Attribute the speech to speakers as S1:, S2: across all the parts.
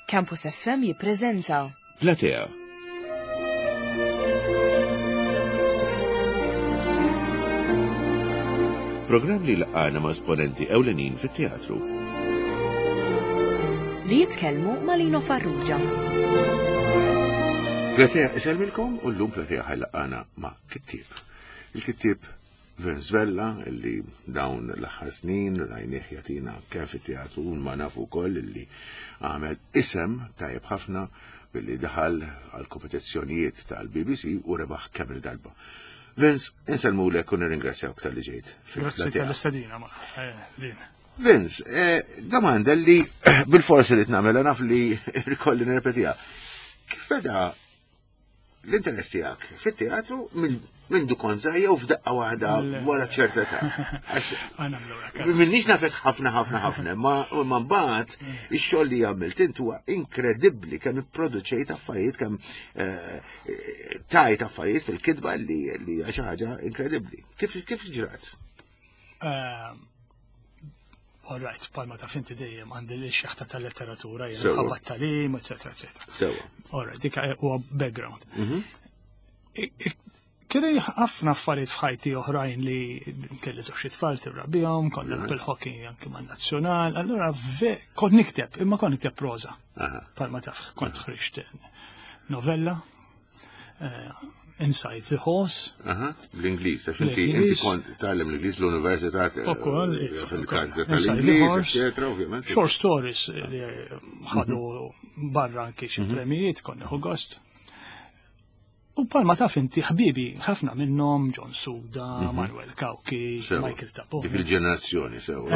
S1: Campus FM jippreżenta.
S2: Platea. Programm li laqgħana ma' esponenti ewlenin fit-teatru.
S1: Li jitkellmu ma' Lino Farrugia.
S2: Platea isellmilkom u llum Platea ħajlaqgħana ma' kittieb. Il-kittieb Vince Vella illi dawn l-aħħar snin rajnieh jagħtina kemm fit-teatru ma nafu wkoll illi għamel isem tajjeb ħafna billi daħal għal kompetizzjonijiet tal-BBC u rebaħ kemm il-darba. Vince, insellmulek u nirringrazzjawk tal-li ġejt.
S3: Grazzi tal-istedina ma. Eh,
S2: Vince, eh, domanda li bil-forsi li tnamela naf li rikolli nirrepetiha. Kif beda l-interess tiegħek fit-teatru minn du kont żgħir jew f'daqqa waħda wara ċerta età. Minnix nafek ħafna ħafna ħafna, ma ma mbagħad ix-xogħol li għamilt int huwa inkredibbli kemm ipproduċejt affarijiet kemm eh, tajt affarijiet fil-kitba li hija xi ħaġa inkredibbli. Kif kif ġrat?
S3: Ehm, all right, palma ta' finti dejjem għandi li xaħta tal-letteratura, jena ħabba talim, eccetera, eccetera.
S2: Sewa.
S3: All right, dik huwa background. Mhm. Kelli ħafna affarijiet f'ħajti oħrajn li kelli żewġ tfal tirrabihom, kont nilgħab il-hockey anki man-nazzjonal, allura kont nikteb, imma kont nikteb proża. Palma taf, kont ħriġt novella, Eh, Inside the Horse.
S2: L-Ingliż, għax inti inti kont tgħallem l-Ingliż l-Università eh,
S3: Ukoll,
S2: eh, fil-karta tal-Ingliż, eċetera, ovvjament.
S3: Short stories li ħadu mhm. barra anki xi mhm. premijiet, kont nieħu gost. U palma taf inti ħbibi ħafna minnhom John Suda, mhm. Manuel Cauchi, Michael Tabone.
S2: Dik il-ġenerazzjoni sew.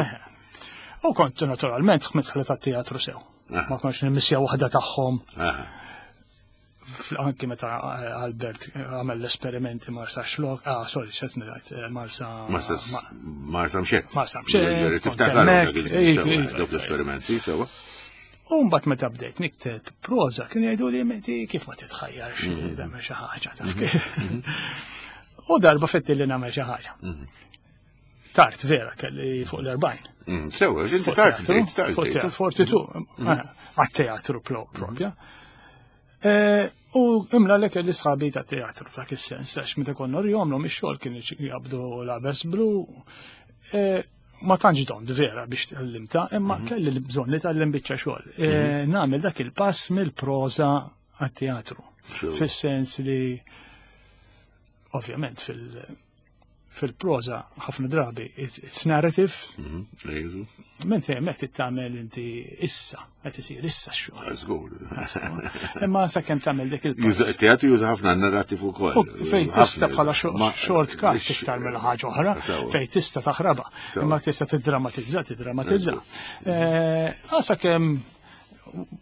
S3: U kont naturalment ħmet tat-teatru sew. Ma kontx nimmissja waħda tagħhom. Anki meta eh, Albert eh, għamel l-esperimenti Marsa Xlok, ah, sorry, xet ngħid, eh, Marsa.
S2: Marsa Marsa Mxet.
S3: Marsa Mxet.
S2: Tiftakar dawk l-esperimenti, sewa.
S3: U mbagħad meta bdejt nikteb proża kien jgħidu li meti kif ma titħajjarx mhm. tagħmel xi ħaġa taf mhm. kif. Mhm. U darba fetti li nagħmel xi ħaġa. Tard vera kelli fuq l-40.
S2: Mm, sewa, inti tard, tard.
S3: 42, għat-teatru propja. Eh, u imla li kelli sħabi ta' teatru f'dak is-sens, għax meta konna rjomlhom ix-xogħol kien jabdu l-abes blu. Eh, ma tantx dont vera biex tgħallimta, imma mhm. kelli bżonn li tgħallim biċċa xogħol. Eh, mhm. Nagħmel dak il-pass mill-proża għat-teatru. Fis-sens li ovvjament fil- fil-proza ħafna drabi it's narrative.
S2: Mhm,
S3: Mentri hemmhekk trid tagħmel inti issa, qed isir issa x-xogħol.
S2: Żgur.
S3: Imma sakemm tagħmel dik il
S2: Teatru juża ħafna narrativ ukoll.
S3: Fejn tista' bħala short cut iktar mill ħaġa oħra, fejn tista' taħrabha. Imma tista' tiddramatizza, tiddramatizza. Eh, sakemm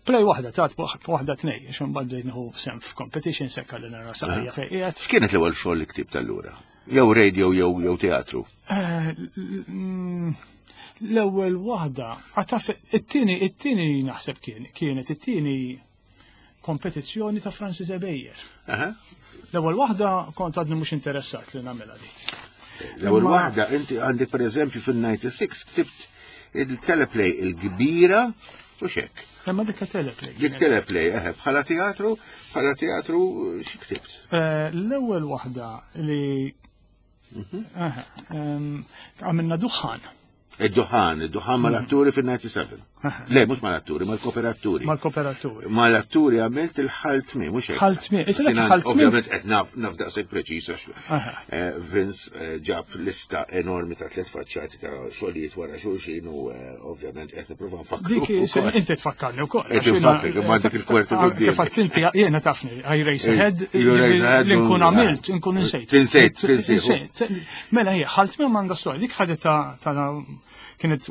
S3: play waħda tat waħda tnej, għax imbagħad bdejt nieħu sem f'competition sekka li nara saqajja fejn qiegħed.
S2: X'kienet l-ewwel xogħol li ktibt allura? Jew radio jew jew teatru?
S3: Eh, mm, l-ewwel waħda, għataf it-tieni it-tieni naħseb kien kienet it-tieni kompetizzjoni ta' Francis Ebejer. L-ewwel waħda kont għadni mhux interessat li nagħmilha dik.
S2: L-ewwel waħda inti għandi pereżempju fil-96 ktibt il-teleplay il-kbira u xek.
S3: Imma dik teleplay.
S2: Dik teleplay, eħe, bħala teatru, bħala teatru xi ktibt?
S3: Eh, l-ewwel waħda li mhm. Għamilna duħan.
S2: Id-duħan, id-duħan mal-atturi fil-97. Le, mux mal-atturi, mal-kooperaturi.
S3: Mal-kooperaturi.
S2: Mal-atturi għamilt il-ħaltmi, mux hekk.
S3: Ħaltmi, issa dak ħaltmi.
S2: Ovvjament qed naf naf daqshekk preċiż għax eh, Vince eh, ġab lista enormi ta' tliet faċċati ta' xogħlijiet wara xulxin u eh, ovvjament qed nipprova nfakru.
S3: Dik inti tfakkarni wkoll.
S2: Qed nfakkrek imma dik il-kwertu
S3: quddiem. Kif għedt inti jiena tafni, I race ahead, li nkun għamilt, nkun insejt.
S2: Tinsejt, tinsejt.
S3: Mela hija ħaltmi m'għandha storja, dik ħadet ta' kienet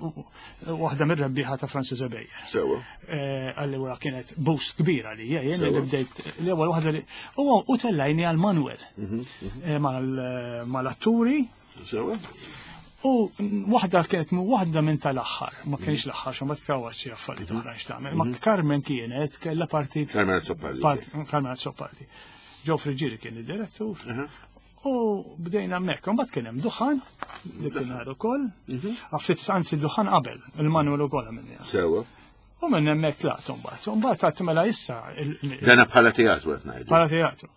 S3: waħda mir-rebbieħa ta' Francis Ebejer.
S2: Sewa.
S3: Eh, allura kienet boost kbira li jien li bdejt l-ewwel waħda li u tellajni għal Manuel mhm, mhm. Eh, eh, mal-atturi.
S2: Sewa.
S3: U waħda kienet waħda minn tal-aħħar, ma kienx l-aħħar, xo ma tkawwax xi affarijiet mhm. oħra x'tagħmel. Ma Carmen kienet kellha parti.
S2: Carmen Azzopardi.
S3: Carmen Azzopardi. Joe Friggieri kien id-direttur. U bdejna hemmhekk, imbagħad kien hemm duħan li kien ukoll. Mhm. Għaftit anzi duħan qabel, il-Manuel ukoll għamilni.
S2: Sewa.
S3: U minn hemmhekk tlaqt imbagħad. Imbagħad għadt mela issa.
S2: Dana bħala teatru qed ngħidu.
S3: Bħala teatru.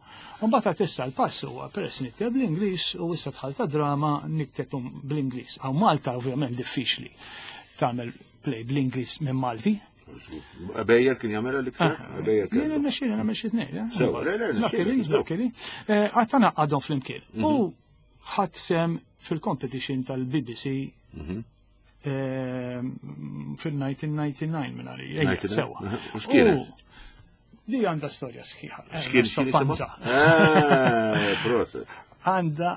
S3: Imbagħad għadt issa l-pass huwa peress nikteb bl-Ingliż u issa dħalt ta' drama nikteb bl-Ingliż. Hawn Malta ovvjament diffiċli tagħmel play bl-Ingliż minn Malti.
S2: Bejjer kien jagħmel l-iktar? Ah,
S3: Bejjer kien. Jiena nexxieli nagħmel xi tnejn. Eh? Sew, le, le, luckily. Eh, għadd għadhom flimkien. Mhm. U ħadd sem fil-competition tal-BBC mhm. Fil-1999 minn għalija. Sewa.
S2: U x'kienet?
S3: Di għandha storja sħiħa.
S2: X'kien Panza. Ah, proset.
S3: Għandha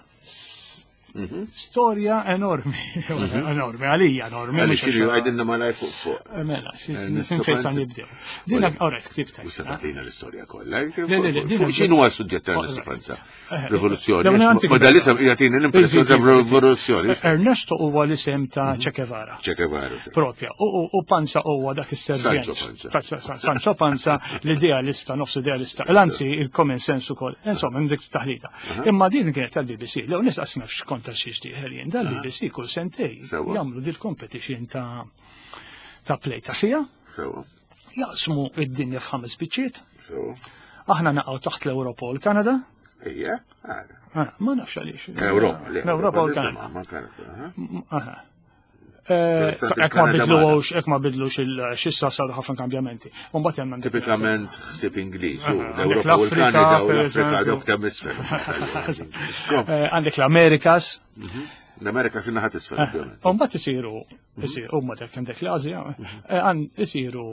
S3: Mhm. Storja enormi, mhm. enormi, għalija enormi.
S2: Għalli xiri għajdinna ma laj fuq fuq.
S3: Eh, mela, eh, fejn sa nibdew. Dina, orret, ktibta.
S2: U sa tatina l-istorja kollha. Fuq xinu għal suġġett tal-Panza? Eh, Rivoluzzjoni. Ma dal-isem jagħtini l-impressjoni ta' rivoluzzjoni.
S3: Ernesto huwa l-isem ta' mhm. Che Guevara.
S2: Che Guevara.
S3: Propja. U Panza huwa dak is-servjent. Sancho Panza, l-idealista, nofs idealista. L-anzi, il-common sense ukoll. Insomma, dik taħlita. Imma din kienet tal-BBC. Lew nis qas nafx konta xiex dieħel jien. Dal-BBC kull sentej jagħmlu dil-competition ta' ta' play ta' sija. Jaqsmu id-dinja f'ħames biċċiet. Aħna naqgħu taħt l-Ewropa u l-Kanada.
S2: Ejja,
S3: ah, ma nafx għaliex.
S2: Ewropa,
S3: l-Ewropa u l-Kanada. Eh, ek ma bidlux, ek ma bidlux il-xissa saru ħafna kambjamenti. Mbagħad hemm
S2: Tipikament ħsieb Ingliż, l-Ewropa u l-Kanada u l-Afrika dawk ta' misfel.
S3: Eh, għandek l-Amerikas.
S2: Mhm. L-Amerika sinna ħat isfel.
S3: Eh, mbagħad isiru mhm. huma dak għandek l-Asja, mhm. isiru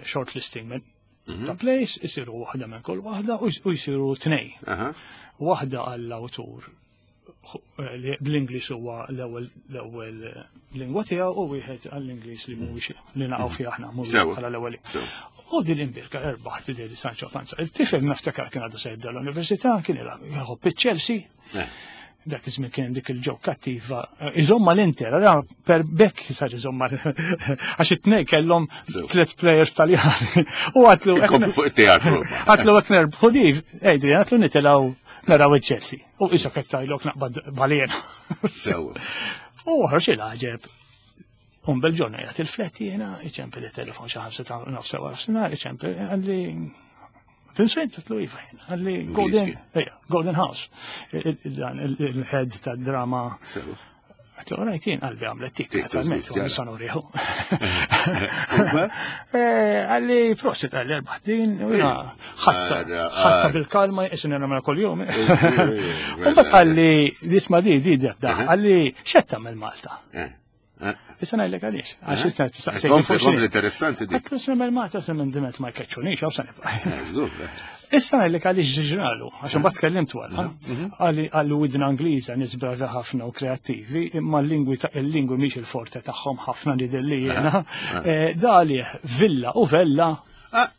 S3: shortlisting minn mhm. ta' place, isiru waħda minn kull waħda u jisiru tnej. Waħda għall-awtur eh, li bl-Ingliż huwa l-ewwel l-ewwel lingwa tiegħu u wieħed għall-Ingliż li mhuwiex li naqgħu fih aħna mhuwiex bħala l-ewwel. U din l-imbirka erbaħt din Sancho Panza. Il-tifel naftakar kien għadu se jibda l-università, kien jħobb iċ-Chelsea. Eh. Dak iż-żmien kien dik il-ġok kattiva. Iżomma l-Inter, għara per bekk sar iżomma għax it-tnej kellhom tliet players Taljani. U għatlu.
S2: Fuq it-teatru.
S3: Għatlu għat nerbħu di, Adrian, għatlu nitilaw naraw il-Chelsea. U isa kettajlok naqbad balena.
S2: Sewa.
S3: U ħarx il-ħaġeb. Un bel-ġorna jgħat il-flet jena, iċempi li telefon xi ħamsa ta' nofsa wara f'sinar, iċempi għalli Vincent, għatlu iva jena, għalli Golden, Golden House, dan il-head ta' drama. Għatlu rajt jien qalbi għamlet tik, naturalment, u nisa nuriħu. Eh, għalli prosit għalli erbaħ din, u jena ħatta bil-kalma, jisin jena mela kol-jum. Umbat għalli, disma di, di, di, għalli, xetta mill-Malta. Eh. Eh. Issa ngħidlek għaliex. Għax issa
S2: tistaqsej. Kompli interessanti
S3: dik. Għatlu semel Malta se minn dimet ma jkeċċunix, għaw sa nibqa'. Eh, issa ngħidlek għaliex ġralu, għax imbagħad tkellimt wara. Mhm, mhm. Għalli widna Ingliża nies bravi ħafna u kreattivi, imma l-lingwi ta' il-lingwi mhix il-forte tagħhom ħafna li dilli jiena. Eh, da għalih villa u vella.
S2: Ah.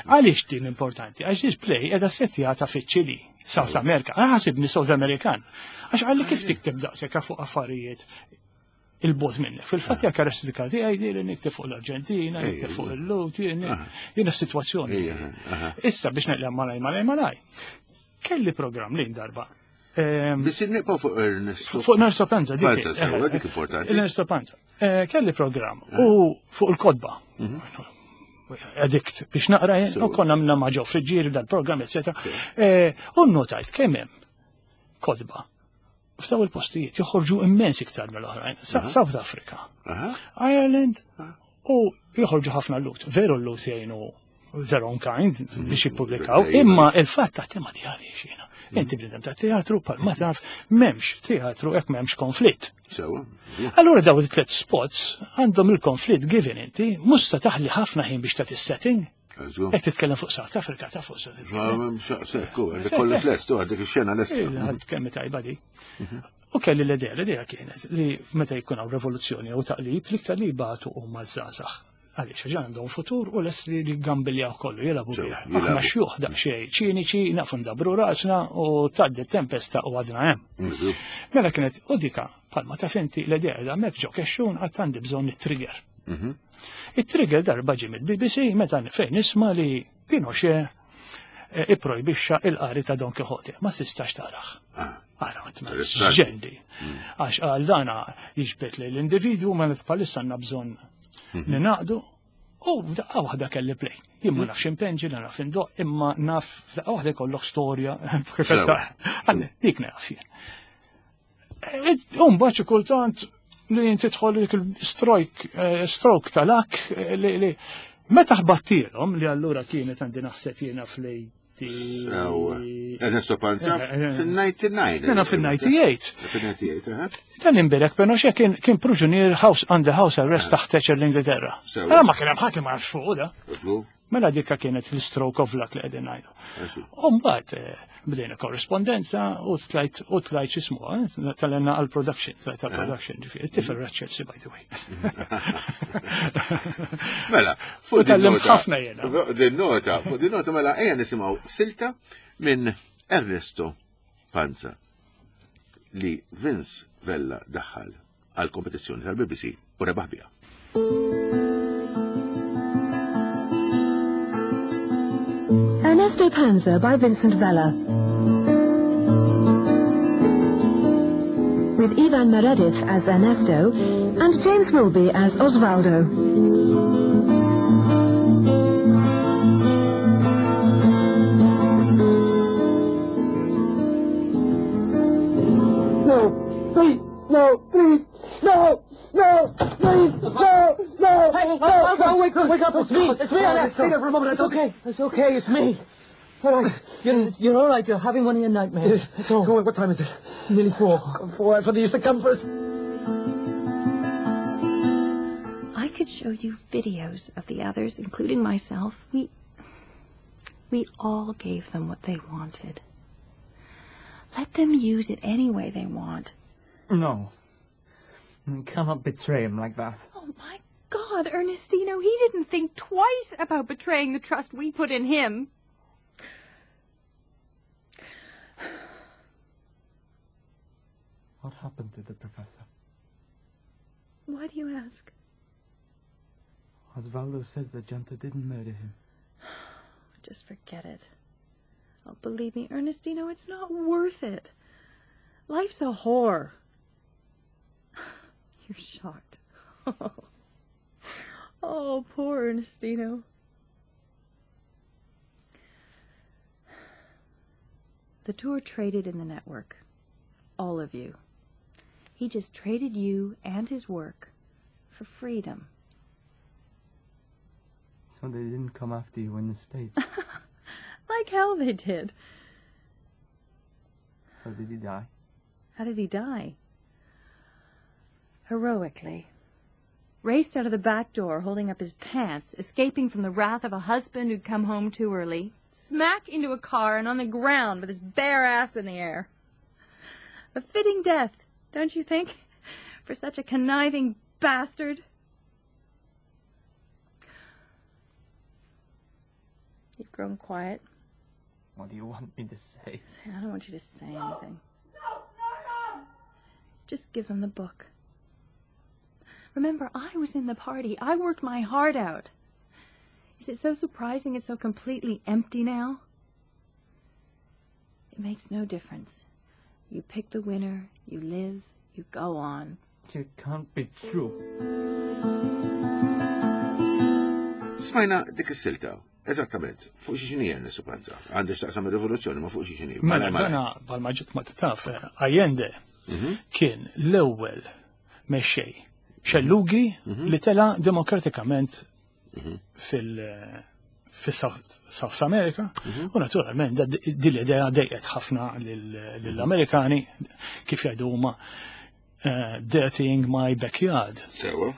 S3: Għaliex din importanti? Għax display edha settjata fiċ-Ċili, South America. Għasibni South American. Għax għalli kif tikteb daqshekk fuq affarijiet il-bot minnek. Fil-fatt hija karakteristika tiegħi li nikteb fuq l-Arġentina, nikteb fuq il-Lut, jiena s-sitwazzjoni. Issa biex neqlem malaj malaj malaj. Kelli programm li darba.
S2: Biex nibqgħu fuq Ernesto.
S3: Fuq Ernesto Panza,
S2: dik. Dik importanti.
S3: Ernesto Panza. Eh, kelli programm u fuq il-kodba. Mhm. Addict biex naqra u konna minna ma' ġo friġġieri dal-programm, etc. Eh, u notajt kemm hemm kodba f'daw il-postijiet joħorġu immens iktar mill-oħrajn. South Africa, Ireland u joħorġu ħafna l-lut. Veru l-lut jgħinu their own kind mhm. biex jippubblikaw, imma il-fatt ta' tema di għaliex jiena. Mhm. Inti bnidem ta' teatru pal ma taf m'hemmx teatru jekk m'hemmx konflitt. Allura daw it-tliet spots għandhom il-konflitt given inti, mhux se taħli ħafna ħin biex tagħti setting. Qed titkellem fuq South Africa, ta' fuq South
S2: Africa. Kollox lest, għandek ix-xena lest.
S3: Għad kemm tajba di. Mhm. U kelli l-idea, l-idea kienet li meta jkun hawn revoluzzjoni jew taqlib, l-iktar li jbatu huma żgħażagħ. Għaliex għax għandhom futur u lest li jgambiljaw kollu, jilagħbu bih. Aħna xjuħ daqsxejn ċiniċi, nafu ndabru rasna u tgħaddi tempesta u għadna hemm. Mhm. Mela kienet u dika palma ta' finti l-idea da mek ġo kexxun għad għandi bżonn it-trigger. Mhm. It-trigger darba ġie mill-BBC meta fejn nisma' li Pinochet eh, ipprojbixxa il-qari ta' Don Quixote. Ma sistax taraħ. Ah. Ara, ġendi. Mm. Għax għal dana jiġbet li l-individu ma palissa għandna bżonn. Ninaqdu u f'daqqa waħda kelli play. Jien ma nafx impenġi, la naf indoq, imma naf f'daqqa waħda jkollok storja. kif qed
S2: Sewa.
S3: Għalli, Dik naf jien. U mbagħad xi kultant li inti tidħol dik il-strojk, stroke tal-ak li li meta ħbattilhom li allura kienet għandi naħseb jiena fl-80.
S2: Sewa. Ernesto Panza fil-99.
S3: Jiena fil-98.
S2: Fil-98, eh?
S3: Dan imbirek Pinochet kien kien priġunier house under house arrest taħt Thatcher l-Ingilterra.
S2: Sewa.
S3: Ah, ma kien hemm ħadd li ma jafx fuq da.
S2: Żgur.
S3: Mela dikka kienet l-stroke of luck li qegħdin ngħidu.
S2: Għaxi.
S3: U mbagħad bdejna korrespondenza u tlajt u tlajt x'ismu, tal-enna għal-production, tlajt għal-production, ġifieri, tifel ra Chelsea by the way.
S2: Mela,
S3: U
S2: fuq din
S3: tallimt
S2: nota.
S3: ħafna jiena.
S2: Fuq din nota, fuq din nota, mela, ejja nisimgħu silta minn Ernesto Panza li Vince Vella daħħal għal kompetizzjoni tal-BBC u rebaħ biha.
S4: Ernesto Panza by Vincent Vella. With Ivan Meredith as Ernesto and James Wilby as Osvaldo.
S5: No, please, no, please, no, no, please, no, no.
S6: Hey, hey, no, no, wake up, wake up, it's me, it's me,
S5: Oh,
S6: Ernesto.
S5: Stay there for a moment.
S6: It's okay, it's okay, it's me. All right, you're all right, you're having one of your nightmares. That's all.
S5: Go on, what time is it?
S6: Nearly 4.
S5: 4, that's when they used to come for us.
S7: I could show you videos of the others, including myself. We all gave them what they wanted. Let them use it any way they want.
S6: No. You cannot betray him like that.
S7: Oh my God, Ernestino, he didn't think twice about betraying the trust we put in him.
S6: What happened to the professor?
S7: Why do you ask?
S6: Osvaldo says the junta didn't murder him.
S7: Just forget it. Oh, believe me, Ernestino, it's not worth it. Life's a whore. You're shocked. Oh, poor Ernestino. The tour traded in the network. All of you. He just traded you and his work for freedom.
S6: So they didn't come after you in the States.
S7: Like hell they did.
S6: How did he die?
S7: How did he die? Heroically. Raced out of the back door, holding up his pants, escaping from the wrath of a husband who'd come home too early. Smack into a car and on the ground with his bare ass in the air. A fitting death, don't you think? For such a conniving bastard. You've grown quiet.
S6: What do you want me to say?
S7: I don't want you to say anything. Just give them the book. Remember, I was in the party. I worked my heart out. Is it so surprising it's so completely empty now? It makes no difference. You pick the winner, you live, you go on.
S6: It can't be true.
S2: Smajna dik is-silta, eżattament, fuq xi xini Ernesto Panza. Għandek x'taqsam ir-rivoluzzjoni ma fuq xi xini.
S3: Mela, dana bħalma ġiet ma taf, Allende kien l-ewwel mexxej xellugi li tela demokratikament fil- fis-South South America u naturalment din l-idea dejqet ħafna lill-Amerikani kif jgħidu huma dirtying my backyard.
S2: Sewa.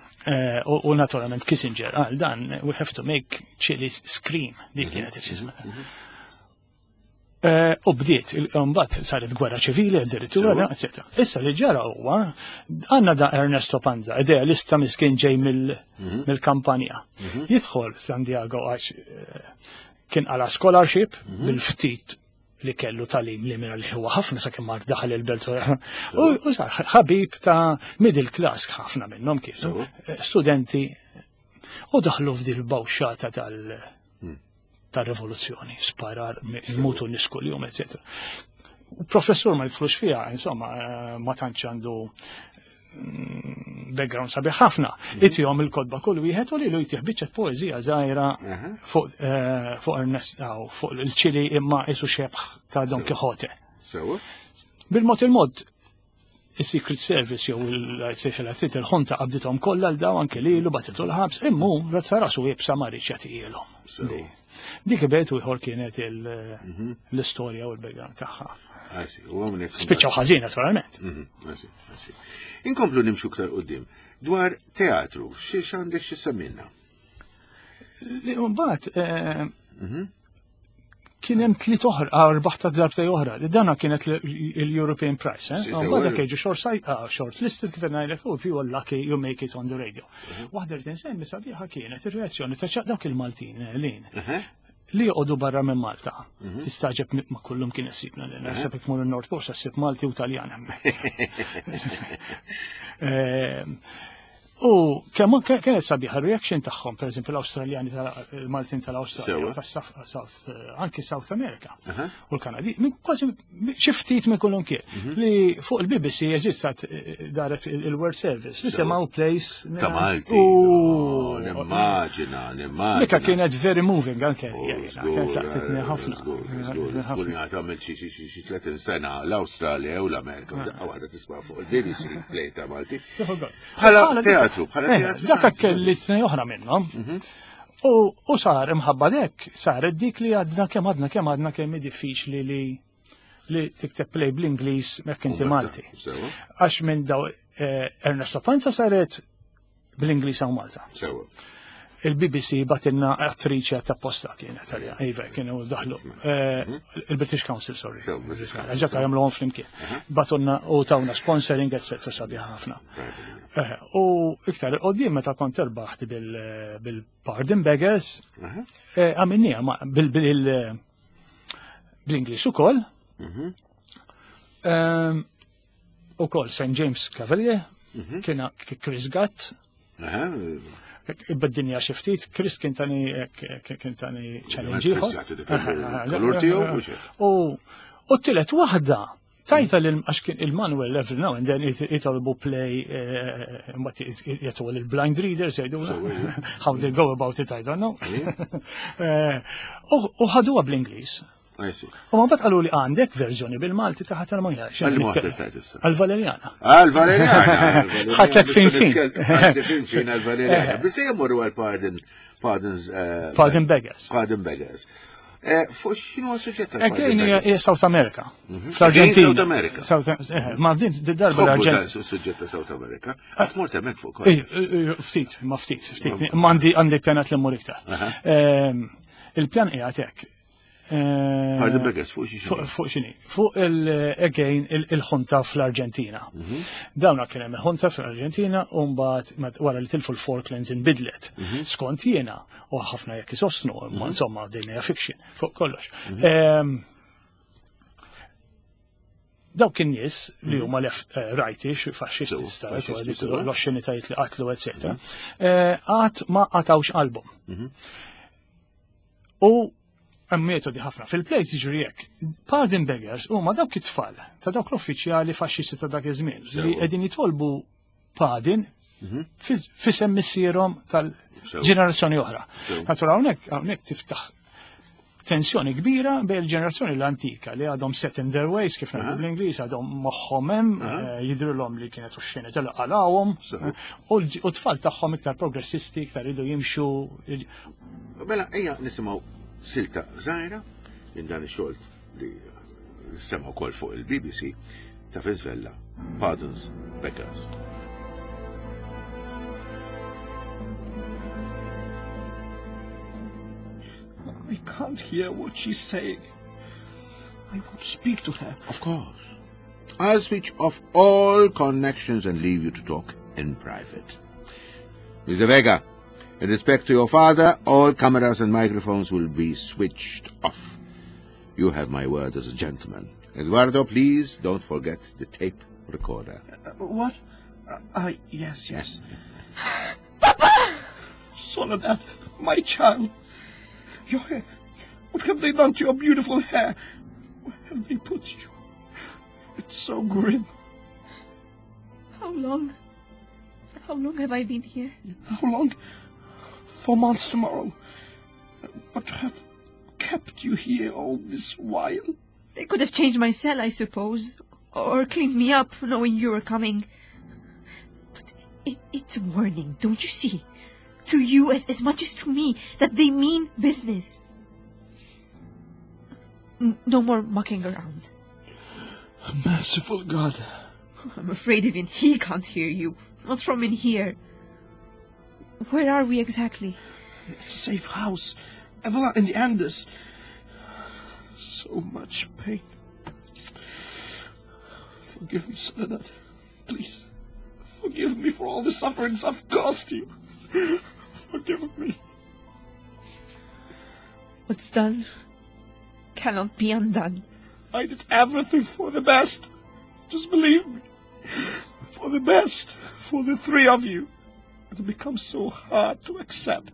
S3: U naturalment Kissinger għal dan we have to make Chile scream dik kienet il-xisma. U bdiet, mbagħad saret gwerra ċivili, addirittura,
S2: Sewa.
S3: eccetera. Issa li ġara huwa għandna da Ernesto Panza, idealista miskin ġej mill-kampanja. Jidħol San Diego għax kien għala scholarship bil-ftit li kellu talim li minna li huwa ħafna sakemm mar daħal il-belt. U sar ħabib ta' middle class ħafna minnhom kienu studenti u daħlu f'dil bawxata tal- tal-rivoluzzjoni, sparar, mutu nies kuljum, eccetera. U professur ma jidħlux fiha, insomma, ma tantx għandu background sabiħ ħafna. Itihom il-kotba kull wieħed u lilu jtih biċċa poeżija żgħira fuq eh, fuq Ernest fuq il-Ċili imma isu xebħ ta' Don Quixote. Bil-mod il-mod is-Secret Service jew il-sejħila ftit il-ħunta qabdithom kollha l daw anke lilu batitu l-ħabs, immu razza rasu iebsa ma rridx jagħtihielhom. Dik bejt u ieħor kienet mhm. l-istorja u l-background tagħha. Spiċċaw ħażin naturalment.
S2: Mhm, Inkomplu nimxu ktar qudiem dwar teatru, xi għandek xi semminna?
S3: Mbagħad eh, mhm. kien hemm tliet oħra, ah, rbaħ ta' darbtej oħra. Dana kienet l-European Prize, eh? Mbagħad dak jiġu short site, ah, short listed kif ngħidlek, oh, if you are lucky you make it on the radio. Mhm. Waħda li tinsemmi sabiħa kienet ir-reazzjoni ta' dawk il-Maltin eh, lin. Mhm. Li joqogħdu barra minn Malta. Mhm. Tistaġeb ma kullum kien issibna li naħseb tmur in-Nord Coast ssib Malti u Taljan hemmhekk. Ehm, U kemm kienet sabiħa reaction tagħhom, pereżempju l-Awstraljani tal-Maltin tal-Awstralja, tas-South, eh, anki South America u l-Kanadi, kważi xi ftit minn kullum kien mhm. li fuq il-BBC eżistat eh, daret il-World Service li semgħu place
S2: ta' Malti. Oh, nimmaġina, nimmaġina.
S3: Dika kienet very moving anke. Oh, kienet laqtitni
S2: eh,
S3: ħafna.
S2: Żgur, għamil xi 30 sena l-Awstralja u l-Amerika, daqqa waħda tisma' fuq il-BBC play ta' Malti. Bħala teatru, bħala eh, teatru.
S3: Dak kelli tnej oħra minnhom. Mhm. U sar imħabba dek, saret dik li għadna kemm għadna kemm għadna kemm diffiċli li li tikteb play bl-Ingliż mekk inti Malti. Għax minn daw eh, Ernesto Panza saret bl-Ingliż hawn Malta. Il-BBC batinna attriċi ta' posta kienet għalija, iva, kienu daħlu. Eh, mhm. Il-British Council, sorry. Ġaka jagħmluhom flimkien. Batunna u tawna sponsoring, etc. sabiħ ħafna. Eh, u iktar il-qoddim meta kont erbaħt bil-Pardon Beggars, eh, għamilnija bil-Ingliż ukoll. Mhm. Ehm, Ukoll St. James Cavalier, mhm. kien Chris Gatt. Bid-dinja xi ftit, Chris kien tani kien tani challenge ieħor. U u t-tielet waħda tajta li għax kien il-Manuel every now and then jitolbu play eh, mbagħad jagħtu il-blind readers jgħidu how they go about it I don't know. Eh, u ħaduha bl-Ingliż. U ma bat qalu li għandek verżjoni bil-Malti ta' ħadd ma jgħix. Għal-Valerjana.
S2: Għal-Valerjana.
S3: Ħadd fin fin.
S2: Fin fin għal-Valerjana. Biss jmorru għal-Pardon Pardons. Eh,
S3: pardon Beggars.
S2: Pardon Beggars. Eh, fuq x'inhu suġġett
S3: tal Hija South America. Mhm. Fl-Arġentina.
S2: South America.
S3: Eh, ma din darba l-Arġentina.
S2: Suġġett ta' South America. Qatt mort hemmhekk fuq kollox.
S3: Ftit, ma ftit, ftit. Ma għandi pjanat li mmur iktar. Ehm, il-pjan qiegħed hekk.
S2: Eh, Pardon Beggars, fuq xi
S3: Fuq xini. Fuq il-again il-ħunta fl-Arġentina. Mhm. Dawna kien hemm il-ħunta fl-Arġentina u mbagħad wara li tilfu l-Falklands inbidlet. Mhm. Skont jiena u ħafna jekk isostnu, imma mhm. insomma din hija fiction fuq kollox. Ehm, dawk in-nies li huma left eh, rightish, faxxisti, l-oxxenitajiet li qatlu, etc. Eh, qatt ma qatawx qalbhom. U hemm metodi ħafna. Fil-plejt jiġri hekk. Pardon beggars huma dawk it-tfal ta' dawk l-uffiċjali faxxisti ta' dak iż-żmien li qegħdin jitolbu pardon mhm. fisem missierhom tal-ġenerazzjoni oħra. Natura hawnhekk hawnhekk tiftaħ tensjoni kbira bejn il-ġenerazzjoni l-antika li għadhom set in their ways kif ngħidu bl-Ingliż għadhom moħħhom hemm eh, jidhrilhom li kienet u xena qalawhom u t-tfal tagħhom iktar progressisti iktar idu jimxu
S2: Mela, ejja nisimgħu silta żgħira minn dan ix-xogħol li sema wkoll fuq il-BBC ta' Venezuela, Pardons Beggars.
S8: I can't hear what she's saying. I want to speak to her.
S2: Of course. I'll switch off all connections and leave you to talk in private. Mr. Vega, in respect to your father, all cameras and microphones will be switched off. You have my word as a gentleman. Eduardo, please don't forget the tape recorder.
S8: Uh, what? Uh, uh, yes, yes. Papa! Soledad, my child. Your hair. What have they done to your beautiful hair? Where have they put you? It's so grim.
S7: How long?
S9: How long have I been here?
S8: How long? 4 months tomorrow. But to have kept you here all this while.
S9: They could have changed my cell, I suppose, or cleaned me up, knowing you were coming. But it's a warning, don't you see? To you as much as to me, that they mean business. No more mucking around.
S8: Merciful God.
S9: I'm afraid even he can't hear you. Not from in here. Where are we exactly?
S8: It's a safe house. Avila in the Andes. So much pain. Forgive me, Soledad. Please. Forgive me for all the sufferings I've caused you. Forgive me.
S9: What's done cannot be undone.
S8: I did everything for the best. Just believe me. For the best. For the three of you. It becomes so hard to accept.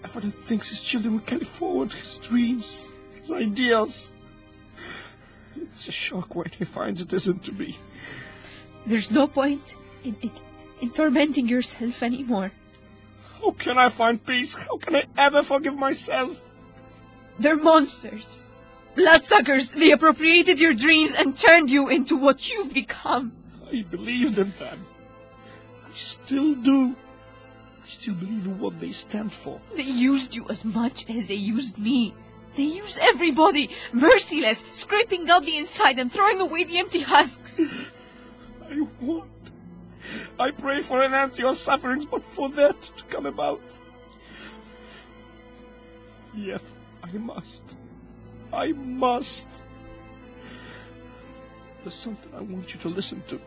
S8: Everyone thinks his children will carry forward his dreams, his ideals. It's a shock when he finds it isn't to be.
S9: There's no point in tormenting yourself anymore.
S8: How can I find peace? How can I ever forgive myself?
S9: They're monsters. Bloodsuckers. They appropriated your dreams and turned you into what you've become.
S8: I believed in them. I still do. I still believe in what they stand for.
S9: They used you as much as they used me. They used everybody, merciless, scraping out the inside and throwing away the empty husks.
S8: I want. I pray for an end to your sufferings, but for that to come about. Yet I must. I must. There's something I want you to listen to.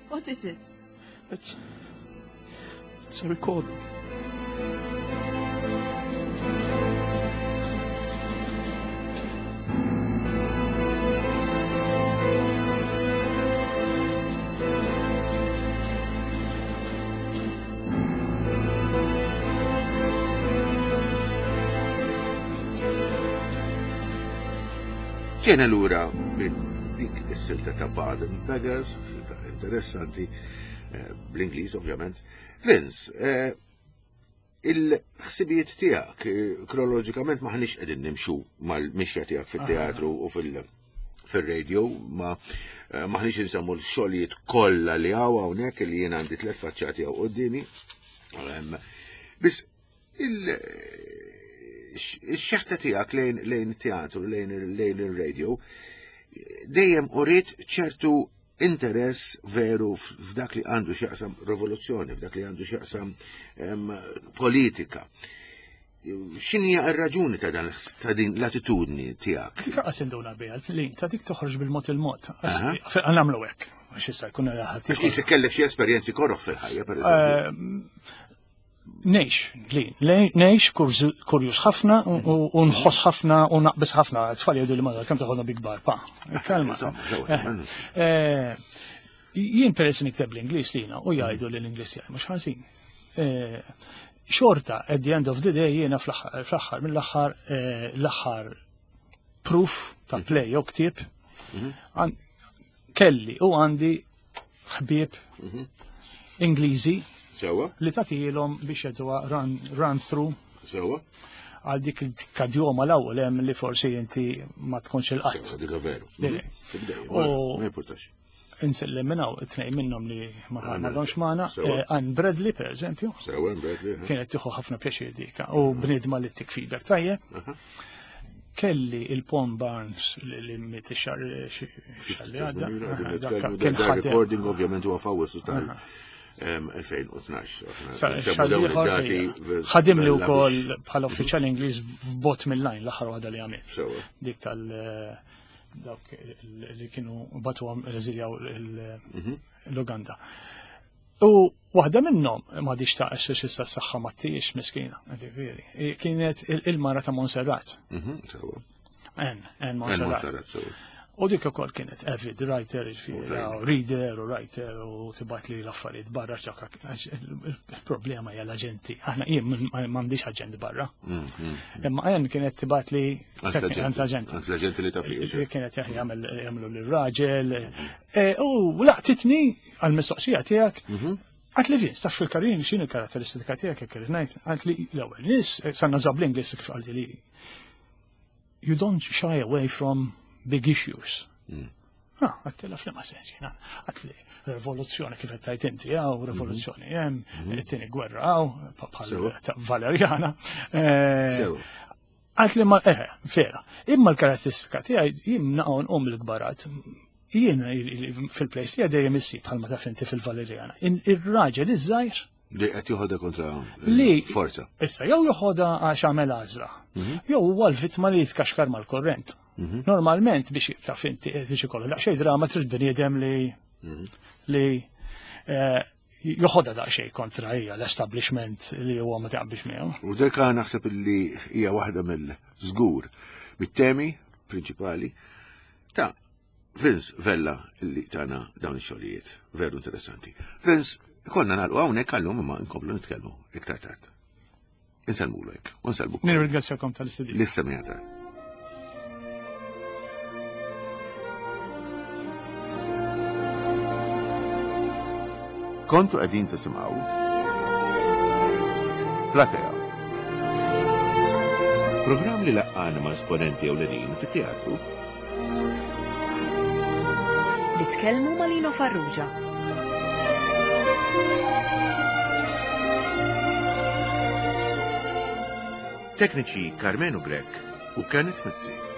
S9: What is it?
S8: It's a recording.
S2: Ġejna lura minn dik is-silta ta' Baden Beggars, silta interessanti, bl-Ingliż ovvjament. Vince, il-ħsibijiet tiegħek kronoloġikament maħniex qegħdin nimxu mal-mixja tiegħek fit-teatru u fil-radio, ma maħniex insemmu l-xogħlijiet kollha li hawn hawnhekk li jien għandi tliet faċċati hawn quddiemi. Biss il-xeħta tiegħek lejn teatru, lejn il-radio, dejjem uriet ċertu interess veru f'dak li għandu x'jaqsam rivoluzzjoni, f'dak li għandu x'jaqsam politika. X'inhi r-raġuni ta' dan, ta' din l-attitudni tiegħek?
S3: Dik qas induna biha, li ta' dik toħroġ bil-mod il-mod. Nagħmlu hekk, għax issa jkun ħadd
S2: ieħor. Issa kellek xi esperjenzi koroh fil-ħajja, pereżempju.
S3: Nejx, li, nejx, kurjus ħafna u nħoss ħafna u naqbis ħafna. Tfal jgħidu li madwar kemm toħodna bi kbar, pa. Kalma. Jien peress nikteb l-Ingliż lina u jgħidu li l-Ingliż jgħid mhux ħażin. Xorta, at the end of the day, jiena fl-aħħar, mill-aħħar, l-aħħar proof ta' play jew ktieb, kelli u għandi ħbieb Ingliżi li tagħtihom biex jgħiduha run through. Għal dik il-kadjoma l-ewwel hemm li forsi inti ma tkunx il-qatt.
S2: Sewa, dik veru.
S3: Dili.
S2: Tibdej,
S3: U
S2: ma jimpurtax.
S3: Insellem minn hawn it-tnejn minnhom li ma
S2: Għanna.
S3: għadhomx magħna.
S2: Sewa.
S3: Ann Bradley, per eżempju.
S2: Sewa, Ann Bradley, eh.
S3: Kienet tieħu ħafna pjaċir dik. U bniedma li tik feedback tajjeb. Kelli il-Pon Barnes li miet ix-xahar, xahar li għadda.
S2: Kif
S3: Aha,
S2: nitkellmu
S3: dak
S2: dwar
S3: kien
S2: dan
S3: ħadem.
S2: recording ovvjament huwa f'Awwissu tal- 2012. Aħna
S3: Sa-
S2: nsemmu
S3: xahar
S2: dawn
S3: ieħor,
S2: id-dati
S3: ejja.
S2: vers-
S3: Ħadim li
S2: bella
S3: wkoll
S2: biex-
S3: bħala uffiċjal Ingliż f'bot mill-lajn l-aħħar waħda li għamilt.
S2: Sewa.
S3: Dik tal- dawk li kienu batuhom eżiljaw l-Uganda. U waħda minnhom ma diċ ta' għax issa s-saħħa ma tiex miskina, ġifieri. Kienet il-mara ta' Montserrat.
S2: Sewa.
S3: En, en
S2: En
S3: Montserrat.
S2: Montserrat, sewa.
S3: U dik ukoll kienet avid writer, ġifieri,
S2: Writer.
S3: reader u writer u tibgħat li l-affarijiet barra ċokka, għax il-problema hija l-aġenti. Aħna jien m'għandix aġent barra. Imma en kienet tibgħat li
S2: Għand
S3: second,
S2: l-aġenti.
S3: għand l-aġenti.
S2: Għand l-aġenti li taf fih,
S3: Kienet jagħmlu lir-raġel. U laqtitni għall-mistoqsija tiegħek. Għat li Vince, taf fil-karin xin il-karatteristika tiegħek jekk irid ngħid, għalt li l-ewwel nies, eh, sanna żab l-Ingliż kif qalti li you don't shy away from big issues. Ah, għattila fl-ma sens jena. Għatli, rivoluzzjoni kif qed inti għaw, mhm. rivoluzzjoni hemm, mhm. it-tieni gwerra għaw, bħal ta' Valerjana. Eh, għatli ma, eh, vera, imma l-karatteristika tiegħi jien naqgħu nqum l-kbarat. Jien fil-plejs tiegħi dejjem issib bħalma taf inti fil-Valerjana. Ir-raġel iż-żgħir
S2: Li qed joħodha kontra li forza.
S3: Issa jew joħodha għax għamel għażla, mhm. jew huwa l-vittma li jitkaxkar mal-korrent. Mhm. Normalment biex taf inti biex ikollu daqsxejn drama trid bniedem li mhm. li eh, joħodha daqsxejn kontra hija l-establishment li huwa ma taqbilx miegħu.
S2: U deka naħseb li hija waħda mill-żgur mit-temi prinċipali ta' Vince Vella li tana dawn ix-xogħlijiet veru interessanti. Vince, konna nagħlqu hawnhekk għallum imma nkomplu nitkellmu iktar tard. Insellmulek, u nsellmu.
S3: Nirringrazzjakom tal-istedina.
S2: L-issemijata. Kontu qegħdin tisimgħu Platea. Programm li laqqana ma' esponenti ewlenin fit-teatru
S1: Li tkellmu ma' Lino Farrugia.
S2: Tekniċi Karmenu Grech u Kenneth Mizzi.